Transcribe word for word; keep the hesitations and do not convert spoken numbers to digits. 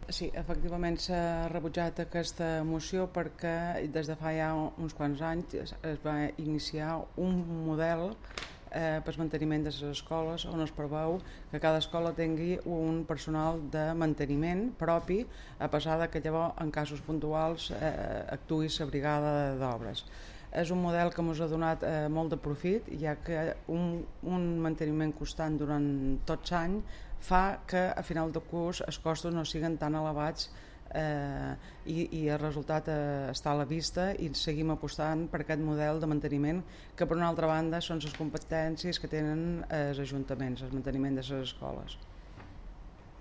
Sí, efectivament s'ha rebutjat aquesta moció perquè des de fa ja uns quants anys es, es va iniciar un model eh, per manteniment de les escoles on es preveu que cada escola tingui un personal de manteniment propi, a pesar de que llavors en casos puntuals eh, actuï la brigada d'obres. És un model que ens ha donat eh, molt de profit, ja que un, un manteniment constant durant tot l'any fa que a final de curs els costos no siguin tan elevats eh, i, i el resultat eh, està a la vista i seguim apostant per aquest model de manteniment que per una altra banda són les competències que tenen els ajuntaments, el manteniment de les escoles.